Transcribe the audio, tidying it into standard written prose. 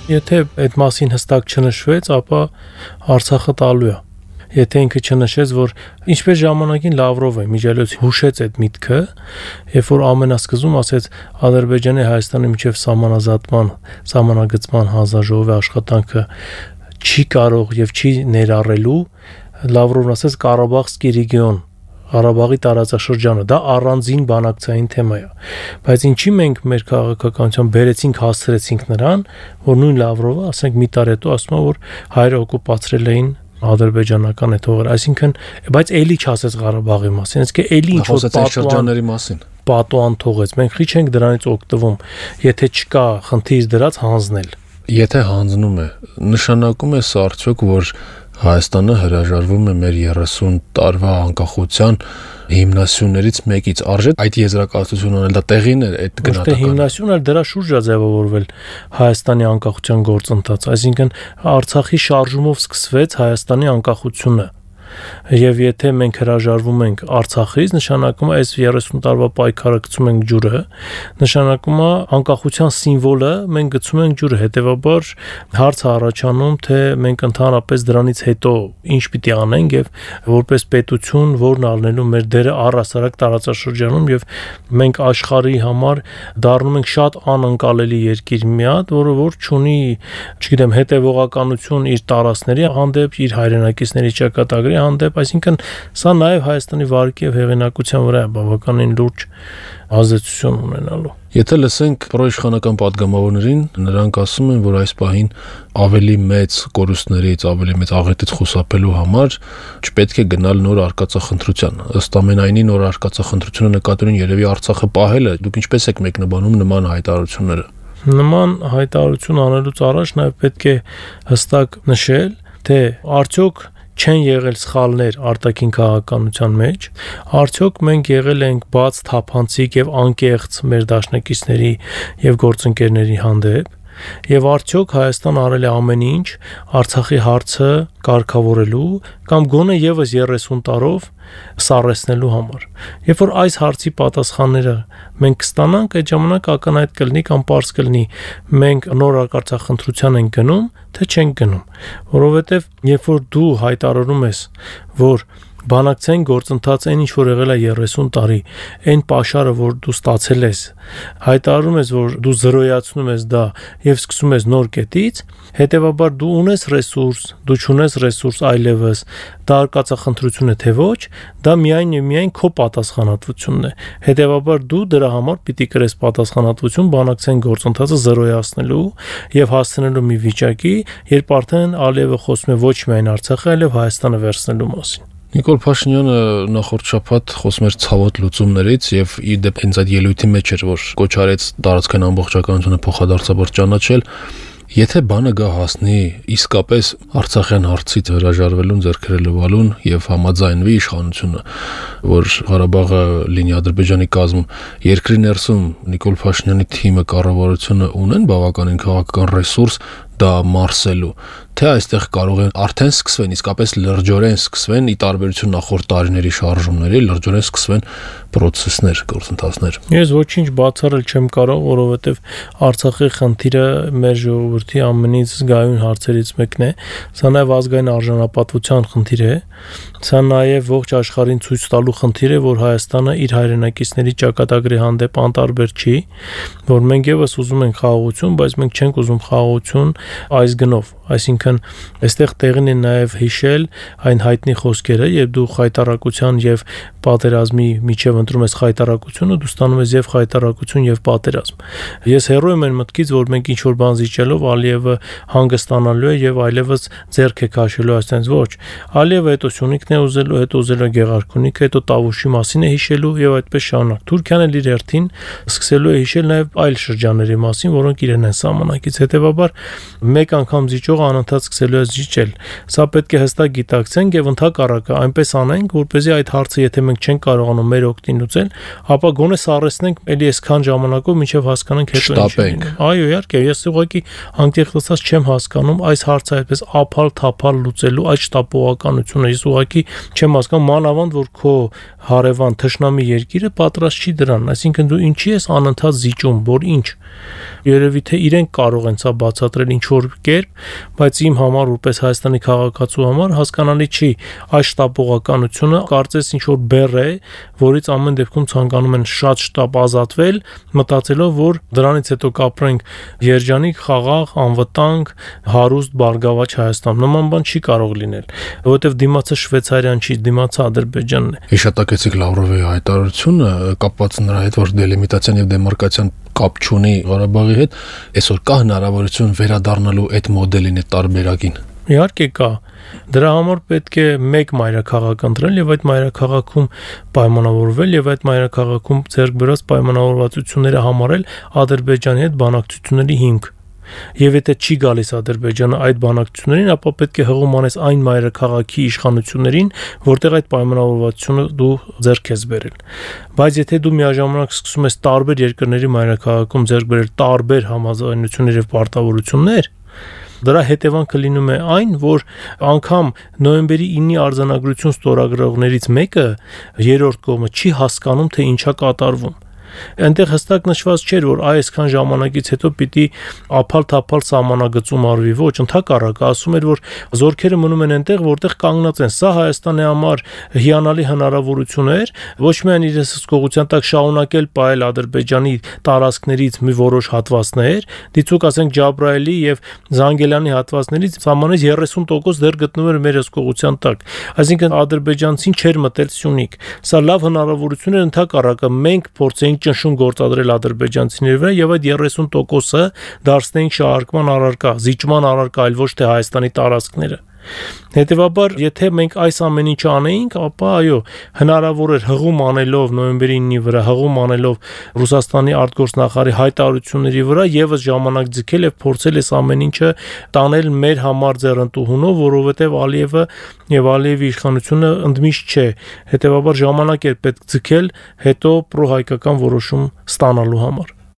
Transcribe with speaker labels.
Speaker 1: Եթե այդ մասին հստակ չնշվեց, ապա Արցախը տալու է։ Եթե ինքը չնշեց, որ ինչպես ժամանակին Լավրովը միջելոց հուշեց այդ միտքը, երբ որ ամենասկզում ասեց Ադրբեջանի Հայաստանի միջև սահմանագծման հանձնաժողովի աշխատանքը չի կարող եւ չի ներառելու, Լավրովն ասեց Ղարաբաղսկի ռեգիոն, Ղարաբաղի տարածաշրջանը, դա առանձին բանակցային թեմա է։ Բայց ինչի մենք մեր քաղաքականության բերեցինք, հասցրեցինք նրան, որ նույն Լավրովը, ասենք մի տարի հետո ասում է, որ հայրը օկուպացրել էին ադրբեջանական այդ հողերը, այսինքն, բայց էլի չասեց Ղարաբաղի մասին, իսկ էլի ինչ որ
Speaker 2: շրջանների մասին
Speaker 1: պատուան թողեց։ Մենք քիչ ենք դրանից օգտվում, եթե չկա խնդիր դրած հանձնել։
Speaker 2: Եթե հանձնում է, նշանակում է սա արդյոք, որ Հայաստանը հրաժարվում է մեր 30 տարվա անկախության հիմնասյուներից մեկից, արժե այդ եզրակացությունը անել, դա տեղին է այդ գնահատականը։
Speaker 1: Հիմնասյունը դրա շուրջ է ձևավորվել Հայաստանի անկախության գործընթաց, այսինքն Արցախի շարժումով սկսվեց Հայաստանի անկախությունը։ Եվ եթե մենք հրաժարվում ենք Արցախից, նշանակում է այս 30 տարվա պայքարը գցում ենք ջուրը, նշանակում է անկախության սիմվոլը մենք գցում ենք ջուրը, հետևաբար հարց է առաջանում, թե մենք ընդհանրապես դրանից հետո ինչ պիտի անենք եւ որպես պետություն որն առնելու մեր դերը առհասարակ տարածաշրջանում եւ մենք աշխարհի համար դառնում ենք շատ անընկալելի երկիր մի հատ, որը որ չունի, չգիտեմ, հետևողականություն իր տարածքների հանդեպ, իր հայրենակիցների ճակատագրի հանդեպ, այսինքն սա նաև Հայաստանի վարկի եւ հեղինակության վրա է բավականին լուրջ ազդեցություն ունենալու։
Speaker 2: Եթե լսենք պրոիշխանական падգամավորներին, նրանք ասում են, որ այս պահին ավելի մեծ կորուստներից, ավելի մեծ աղետից խուսափելու համար չպետք է գնալ նոր արկածախնդրության։ Ըստ ամենայնի նոր արկածախնդրությունը նկատելուն երևի Արցախը պահելը, դուք ինչպես եք մեկնաբանում նման հայտարարությունները։
Speaker 1: Նման հայտարարություն անելուց առաջ նաև պետք է հստակ նշել, թե արդյոք չեն եղել սխալներ արտաքին քաղաքականության մեջ, արդյոք մենք եղել ենք բաց, թափանցիկ եւ անկեղծ մեր դաշնակիցների եւ գործընկերների հանդեպ, եւ արդյոք Հայաստան արել է ամեն ինչ Արցախի հարցը կարգավորելու կամ գոնե եւս 30 տարով սառեցնելու համար։ Երբ որ այս հարցի պատասխանները մենք կստանանք, այդ ժամանակ ակնհայտ կլինի կամ պարզ կլինի մենք նոր արկածախնդրության ենք գնում, թե չենք գնում, որովհետեւ երբ որ դու հայտարարում ես, որ բանակցային գործընթաց այն ինչ որ եղել է 30 տարի, այն պաշարը որ դու ստացել ես, հայտարարում ես, որ դու զրոյացնում ես դա եւ սկսում ես նոր կետից, հետեւաբար դու ունես ռեսուրս, դու չունես ռեսուրս այլևս, դա արկածախնդրություն է թե ոչ, դա միայն եւ միայն քո պատասխանատվությունն է։ Հետեւաբար դու դրա համար պիտի կրես պատասխանատվություն բանակցային գործընթացը զրոյացնելու եւ հասցնելու մի վիճակի, երբ արդեն Ալիևը խոսում է ոչ միայն Արցախի, այլև Հայաստանը վերցնելու մասին։
Speaker 2: Նիկոլ Փաշինյանը նախորդ շաբաթ խոսում էր ցավոտ լուծումներից եւ ի դեպ հենց այդ ելույթի մեջ էր, որ կոչ արեց տարածքային ամբողջականությունը փոխադարձաբար ճանաչել։ Եթե բանը գա հասնի իսկապես Արցախյան հարցից հրաժարվելուն, ձեռքերը լվալուն եւ համաձայնվի իշխանությունը, որ Ղարաբաղը լինի Ադրբեջանի կազմում, երկրի ներսում Նիկոլ Փաշինյանի թիմը կառավարությունը ունեն բավականին քաղաքական ռեսուրս դա մարսելու, թե այստեղ կարող են արդեն սկսվեն, իսկապես լրջորեն սկսվեն, ի տարբերություն նախորդ տարիների շարժումների, լրջորեն սկսվեն պրոցեսներ, գործընթացներ։
Speaker 1: Ես ոչինչ բացառել չեմ կարող, որովհետև Արցախի խնդիրը մեր ժողովրդի ամենից զգայուն հարցերից մեկն է, սա նաև ազգային արժանապատվության խնդիր է, սա նաև ողջ աշխարհին ցույց տալու խնդիր է, որ Հայաստանը իր հայրենակիցների ճակատագրի հանդեպ անտարբեր չի, որ մենք եւս ուզում ենք խաղաղություն, բայց մենք չենք ուզում խաղաղություն այս գնով, այսինքն այստեղ տեղին է նաև հիշել այն հայտնի խոսքերը, երբ դու խայտարակության եւ պատերազմի միջև ընտրում ես խայտարակությունը, դու ստանում ես եւ խայտարակություն եւ պատերազմ։ Ես հեռու եմ այն մտքից, որ մենք ինչ որ բան զիջելով Ալիևը հանգստանալու է եւ այլևս ձեռք է քաշելու այսպես ոչ։ Ալիևը հետո Սյունիքն է ուզելու, հետո ուզելու է Գեղարքունիքը, հետո Տավուշի մասին է հիշելու եւ այդպես շարունակ։ Թուրքիան էլ իր հերթին սկսելու է հիշել նաեւ այլ շրջանների մասին, որոնք իրեն են սահմանակից։ Հետեւաբար մեկ անգամ զիջող զիջողը անընդհատ սկսելու է զիջել։ Սա պետք է հստակ գիտակցենք եւ ընդհակառակը այնպես անենք, որպեսզի այդ հարցը, եթե մենք չենք կարողանում մեր օգտին լուծել, ապա գոնե սառեցնենք էլի այսքան ժամանակով մինչեւ հասկանանք հետո ինչ։ Այո, իհարկե, ես ուղղակի անկեղծ ասած չեմ հասկանում այս հարցը այդպես ափալ-թափալ լուծելու այդ շտապողականությունը։ Ես ուղղակի չեմ հասկանում, մանավանդ որ քո հարևան թշնամի երկիրը պատրաստ չի դրան, այսինքն դու ինչի ես անընդհատ զիջում, որ ինչ։ Երևի թե իրենք կարող են սա բացատրել ինչ որ կերպ, բայց իմ համար որպես Հայաստանի քաղաքացու համար հասկանալի չի այս շտապողականությունը, կարծես ինչ որ բեռ է, որից ամեն դեպքում ցանկանում են շատ շտապ ազատվել, մտածելով որ դրանից հետո կապրենք երջանիկ, խաղաղ, անվտանգ, հարուստ, բարգավաճ Հայաստան։ Նման բան չի կարող լինել, որովհետև դիմացը Շվեյցարիան չի, դիմացը Ադրբեջանն է։
Speaker 2: Հիշատակեցիք Լավրովի հայտարարությունը կապված նրա հետ, որ դելիմիտացիան եւ դեմարկացիան կապ չունի Ղարաբաղի հետ, այսօր կա հնարավորություն վերադառնալու այդ մոդելին, այդ տարբերակին։
Speaker 1: Իհարկե կա։ Դրա համար պետք է մեկ մայրաքաղաք ընտրել եւ այդ մայրաքաղաքում պայմանավորվել եւ այդ մայրաքաղաքում ձեռք բերած պայմանավորվածությունները համարել Ադրբեջանի հետ բանակցությունների հիմք։ Եվ եթե չի գալիս Ադրբեջանը այդ բանակցություններին, ապա պետք է հղում անես այն մայրաքաղաքի իշխանություններին, որտեղ այդ պայմանավորվածությունը դու ձեռք ես բերել։ Բայց եթե դու միաժամանակ սկսում ես տարբեր երկրների մայրաքաղաքում ձեռք բերել տարբեր համաձայնություններ եւ պարտավորություններ, դրա հետևանքը լինում է այն, որ անգամ նոյեմբերի 9-ի արձանագրություն ստորագրողներից մեկը երրորդ կողմը չի հասկանում, թե ինչա կատարվում։ Այնտեղ հստակ նշված չէր, որ այսքան ժամանակից հետո պիտի ափալ-թափալ սահմանագծում արվի, ոչ, ընդհակառակը ասում էր, որ զորքերը մնում են այնտեղ, որտեղ կանգնած են։ Սա Հայաստանի համար հիանալի հնարավորություն էր, ոչ միայն իր հսկողության տակ շարունակել պահել Ադրբեջանի տարածքներից մի որոշ հատվածներ, դիցուք ասենք Ջաբրայելի եւ Զանգելյանի հատվածներից սահմանից 30% դեռ գտնվում էր մեր հսկողության տակ։ Այսինքն ադրբեջանցին չէր մտել Սյունիք։ Սա լավ հնարավորություն էր, ընդհակառակը մենք փորձենք ճնշում գործադրել ադրբեջանցիների վրա եւ այդ 30%-ը դարձնենք շահարկման առարկա, զիջման առարկա, այլ ոչ թե Հայաստանի տարածքները։ Հետևաբար, եթե մենք այս ամեն ինչը անեինք, ապա այո, հնարավոր էր հղում անելով նոյեմբերի 9-ի վրա, հղում անելով Ռուսաստանի արտգործնախարարի հայտարարությունների վրա եւս ժամանակ ձգել եւ փորձել այս ամեն ինչը տանել մեր համար ձեռնտուհունով, որովհետեւ Ալիևը եւ Ալիևի իշխանությունը ընդմիշտ չէ։ Հետևաբար ժամանակ էր պետք ձգել հետո պրոհայկական որոշում ստանալու համար։